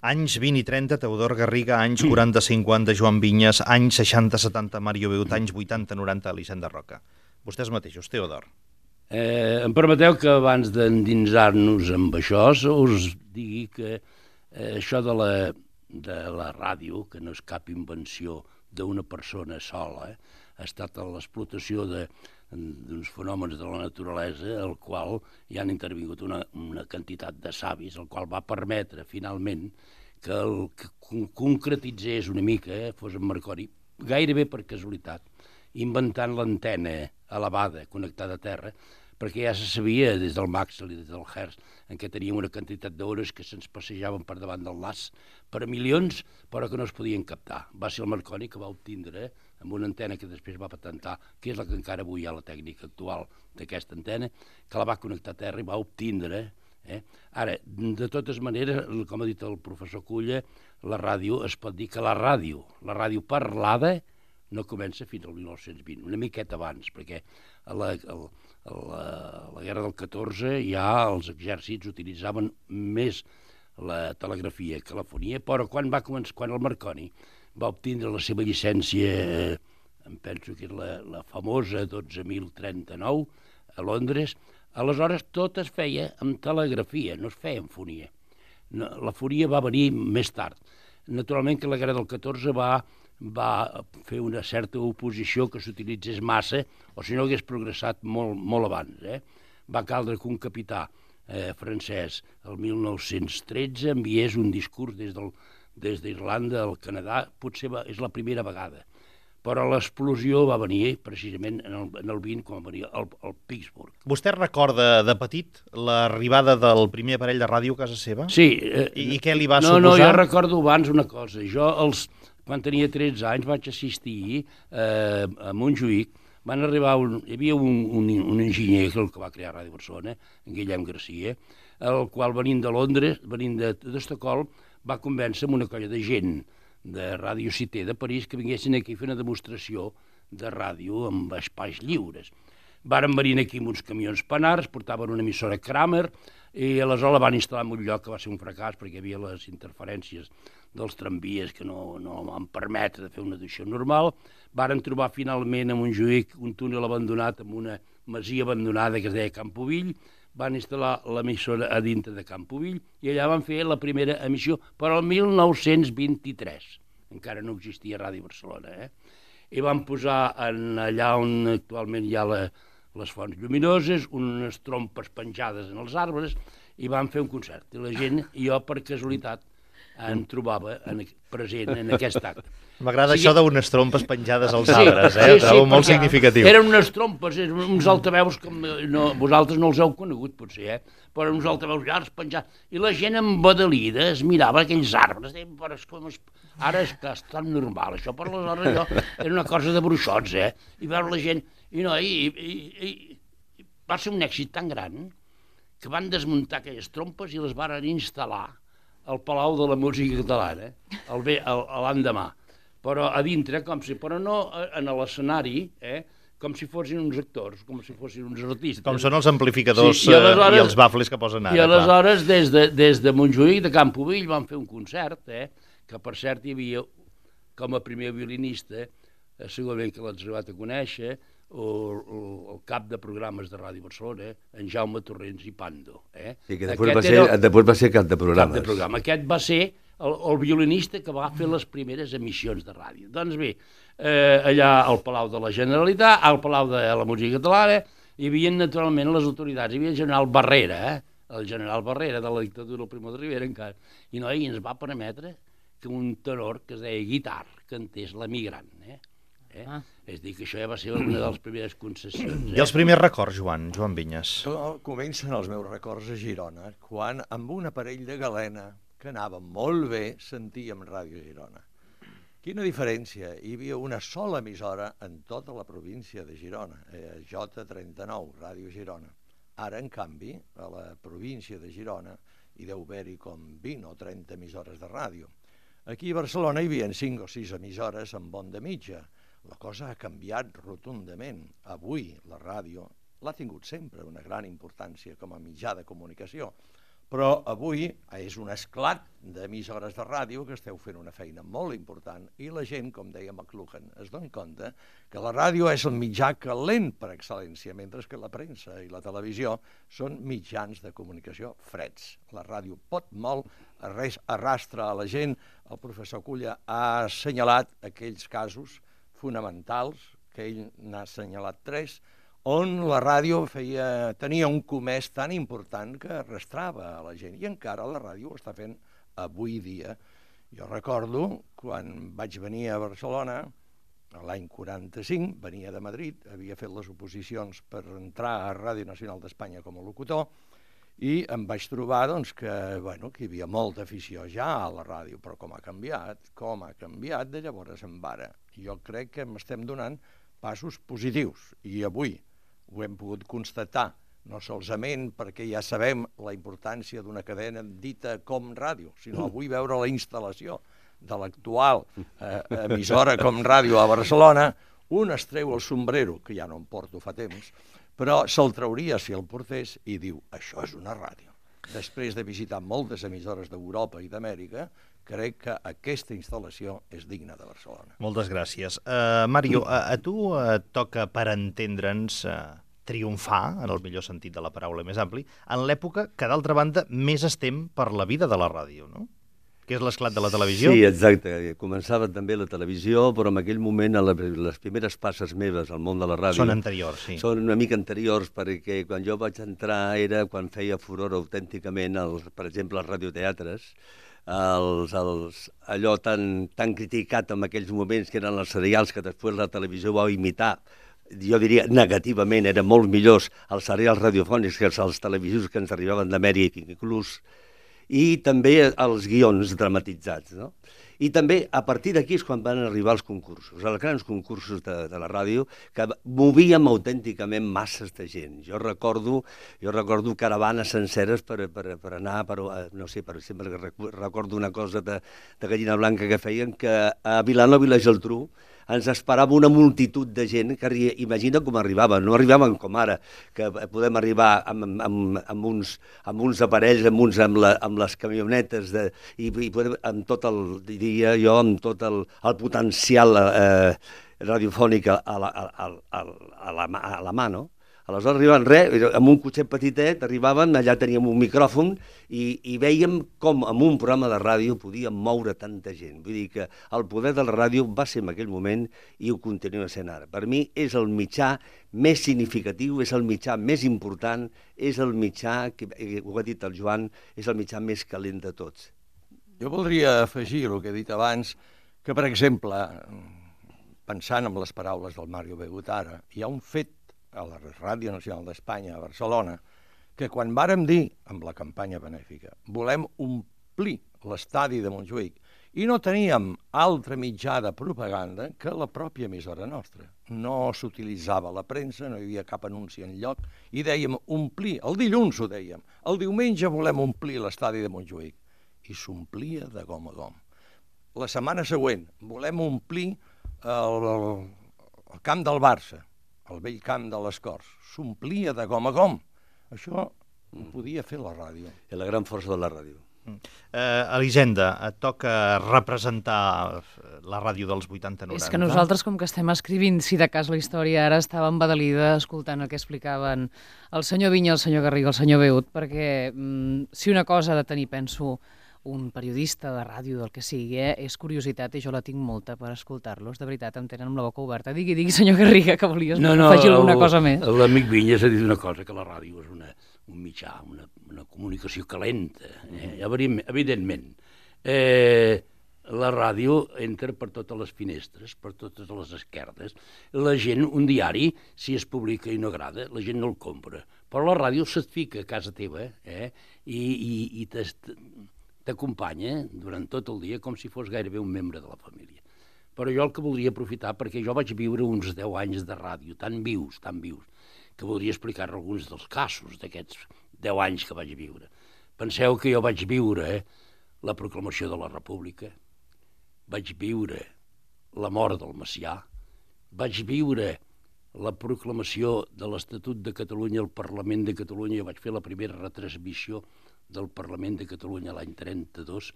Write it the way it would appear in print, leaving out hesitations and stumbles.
Anys 20 i 30, Teodor Garriga, anys 40-50, Joan Vinyes, anys 60-70, Mario Beut, anys 80-90, Elisenda Roca. Vostès mateixos, Teodor. Em permeteu que abans d'endinsar-nos amb això us digui que això de la ràdio, que no és cap invenció d'una persona sola, ha estat l'explotació d'uns fenòmens de la naturalesa, al qual hi han intervingut una quantitat de savis, el qual va permetre finalment que concretitzés una mica, fos en Marconi, gairebé per casualitat, inventant l'antena elevada connectada a terra, perquè ja se sabia des del Maxwell i des del Hertz en què teníem una quantitat d'hores que se'ns passejaven per davant del nas per a milions, però que no es podien captar. Va ser el Marconi que va obtindre, amb una antena que després va patentar, que és la que encara avui hi ha la tècnica actual d'aquesta antena, que la va connectar a terra i va obtindre. Ara, de totes maneres, com ha dit el professor Culla, la ràdio, es pot dir que la ràdio parlada no comença fins al 1920, una miqueta abans, perquè a la guerra del 14 ja els exèrcits utilitzaven més la telegrafia que la fonia, però quan el Marconi va obtindre la seva llicència, em penso que és la famosa 12.039, a Londres, aleshores tot es feia amb telegrafia, no es feia amb fonia. La fonia va venir més tard. Naturalment que la guerra del 14 va fer una certa oposició que s'utilitzés massa, o si no hagués progressat molt abans. Va caldre que un capità francès, el 1913, enviés un discurs des d'Irlanda al Canadà, potser és la primera vegada, però l'explosió va venir precisament en el 20, quan va venir al Pittsburgh. Vostè recorda de petit l'arribada del primer aparell de ràdio a casa seva? Sí. I què li va suposar? No, jo recordo abans una cosa. Jo, quan tenia 13 anys, vaig assistir a Montjuïc. Hi havia un enginyer, el que va crear Ràdio Barcelona, en Guillem Garcia, el qual, venint de Londres, venint d'Estocolm, va convèncer amb una colla de gent de Ràdio Cité de París que vinguessin aquí a fer una demostració de ràdio amb espais lliures. Varen venir aquí amb uns camions Panars, portaven una emissora Kramer, i aleshores la van instal·lar en un lloc que va ser un fracàs perquè hi havia les interferències dels tramvies que no van permetre de fer una edició normal. Varen trobar finalment a Montjuïc un túnel abandonat amb una masia abandonada que es deia Campovill, van instal·lar l'emissora a dintre de Campovill i allà van fer la primera emissió, però el 1923. Encara no existia Ràdio Barcelona. I van posar allà on actualment hi ha les fonts lluminoses, unes trompes penjades en els arbres, i van fer un concert. I la gent, jo per casualitat, em trobava present en aquest acte. M'agrada això d'unes trompes penjades als arbres, trobo molt significatiu. Eren unes trompes, uns altaveus que vosaltres no els heu conegut, potser, però uns altaveus llargs penjats. I la gent embadalida es mirava aquells arbres, ara és que és tan normal això, per aleshores era una cosa de bruixots, i veure la gent, i va ser un èxit tan gran que van desmuntar aquelles trompes i les van instal·lar al Palau de la Música Catalana, l'endemà. Però a dintre, però no en l'escenari, com si fossin uns actors, com si fossin uns artistes. Com són els amplificadors i els bafles que posen ara. I aleshores, des de Montjuïc, de Campovill, van fer un concert, que per cert hi havia, com a primer violinista, segurament que l'has arribat a conèixer, el cap de programes de Ràdio Barcelona, en Jaume Torrents i Pando. Sí, que després va ser cap de programes. Aquest va ser el violinista que va fer les primeres emissions de ràdio. Doncs bé, allà al Palau de la Generalitat, al Palau de la Música Catalana, hi havia naturalment les autoritats, hi havia el general Barrera, el general Barrera de la dictadura del Primo de Rivera encara, i ens va permetre que un tenor que es deia Guitar cantés l'Emigrant. És a dir, que això ja va ser una de les primeres concessions. I els primers records, Joan Vinyes? Comencen els meus records a Girona, quan amb un aparell de galena que anava molt bé sentíem Ràdio Girona. Quina diferència! Hi havia una sola emissora en tota la província de Girona, J39, Ràdio Girona. Ara, en canvi, a la província de Girona hi deu haver-hi com 20 o 30 emissores de ràdio. Aquí a Barcelona hi havia 5 o 6 emissores amb onda mitja. La cosa ha canviat rotundament. Avui la ràdio l'ha tingut sempre una gran importància com a mitjà de comunicació, Però avui és un esclat d'emissores de ràdio que esteu fent una feina molt important i la gent, com deia McLuhan, es dona compte que la ràdio és el mitjà calent per excel·lència, mentre que la premsa i la televisió són mitjans de comunicació freds. La ràdio pot molt, arrastra a la gent. El professor Culla ha assenyalat aquells casos fonamentals, que ell n'ha assenyalat 3, on la ràdio tenia un comès tan important que arrastrava a la gent. I encara la ràdio ho està fent avui dia. Jo recordo, quan vaig venir a Barcelona, l'any 45, venia de Madrid, havia fet les oposicions per entrar a Ràdio Nacional d'Espanya com a locutor, i em vaig trobar que hi havia molta afició ja a la ràdio, però com ha canviat de llavors en ara. Jo crec que estem donant passos positius, i avui ho hem pogut constatar, no solament perquè ja sabem la importància d'una cadena dita com ràdio, sinó avui veure la instal·lació de l'actual emissora com ràdio a Barcelona, un es treu el sombrero, que ja no em porto fa temps, però se'l trauria si el portés i diu, això és una ràdio. Després de visitar moltes emissores d'Europa i d'Amèrica, crec que aquesta instal·lació és digna de Barcelona. Moltes gràcies. Mario, a tu et toca, per entendre'ns, triomfar, en el millor sentit de la paraula més ampli, en l'època que, d'altra banda, més estem per la vida de la ràdio, no? Que és l'esclat de la televisió. Sí, exacte. Començava també la televisió, però en aquell moment les primeres passes meves al món de la ràdio... Són anteriors, sí. Són una mica anteriors, perquè quan jo vaig entrar era quan feia furor autènticament, per exemple, els radioteatres, allò tan criticat en aquells moments que eren els serials que després la televisió va imitar, jo diria negativament, eren molt millors els serials radiofònics que els televisius que ens arribaven d'Amèrica inclús, i també els guions dramatitzats, no? I també, a partir d'aquí és quan van arribar els concursos, els grans concursos de la ràdio, que movíem autènticament masses de gent. Jo recordo caravanes senceres per anar, no sé, per exemple, recordo una cosa de Gallina Blanca que feien, que a Vilanova i la Geltrú ens esperava una multitud de gent que, imagina com arribaven, no arribaven com ara, que podem arribar amb uns aparells, amb les camionetes, i amb tot el, diria jo, amb tot el potencial radiofònic a la mà, no? Aleshores arribaven amb un cotxet petitet, arribaven, allà teníem un micròfon i vèiem com en un programa de ràdio podíem moure tanta gent. Vull dir que el poder de la ràdio va ser en aquell moment i ho continua sent ara. Per mi és el mitjà més significatiu, és el mitjà més important, és el mitjà, ho ha dit el Joan, és el mitjà més calent de tots. Jo voldria afegir el que he dit abans, que per exemple, pensant en les paraules del Mario Begut ara, hi ha un fet a la Ràdio Nacional d'Espanya, a Barcelona, que quan vàrem dir, amb la campanya benèfica, volem omplir l'estadi de Montjuïc, i no teníem altre mitjà de propaganda que la pròpia emissora nostra. No s'utilitzava la premsa, no hi havia cap anunci enlloc, i dèiem omplir, el dilluns ho dèiem, el diumenge volem omplir l'estadi de Montjuïc, i s'omplia de gom a gom. La setmana següent volem omplir el camp del Barça, el vell camp de les Corts, s'omplia de gom a gom. Això ho podia fer la ràdio. És la gran força de la ràdio. Elisenda, et toca representar la ràdio dels 80-90. És que nosaltres, com que estem escrivint, si de cas la història, ara estàvem badalida escoltant el que explicaven el senyor Vinya, el senyor Garriga, el senyor Beut, perquè si una cosa ha de tenir, penso, un periodista de ràdio, del que sigui, és curiositat, i jo la tinc molta per escoltar-los. De veritat, em tenen amb la boca oberta. Digui, senyor Garriga, que volies afegir alguna cosa més. L'amic Vinyes ha dit una cosa, que la ràdio és un mitjà, una comunicació calenta, evidentment. La ràdio entra per totes les finestres, per totes les esquerdes. La gent, un diari, si es publica i no agrada, la gent no el compra. Però la ràdio se't fica a casa teva i t'acompanya durant tot el dia com si fos gairebé un membre de la família. Però jo el que voldria aprofitar, perquè jo vaig viure uns 10 anys de ràdio, tan vius, que voldria explicar alguns dels casos d'aquests 10 anys que vaig viure. Penseu que jo vaig viure la proclamació de la República, vaig viure la mort del Macià, vaig viure la proclamació de l'Estatut de Catalunya al Parlament de Catalunya, vaig fer la primera retransmissió del Parlament de Catalunya l'any 32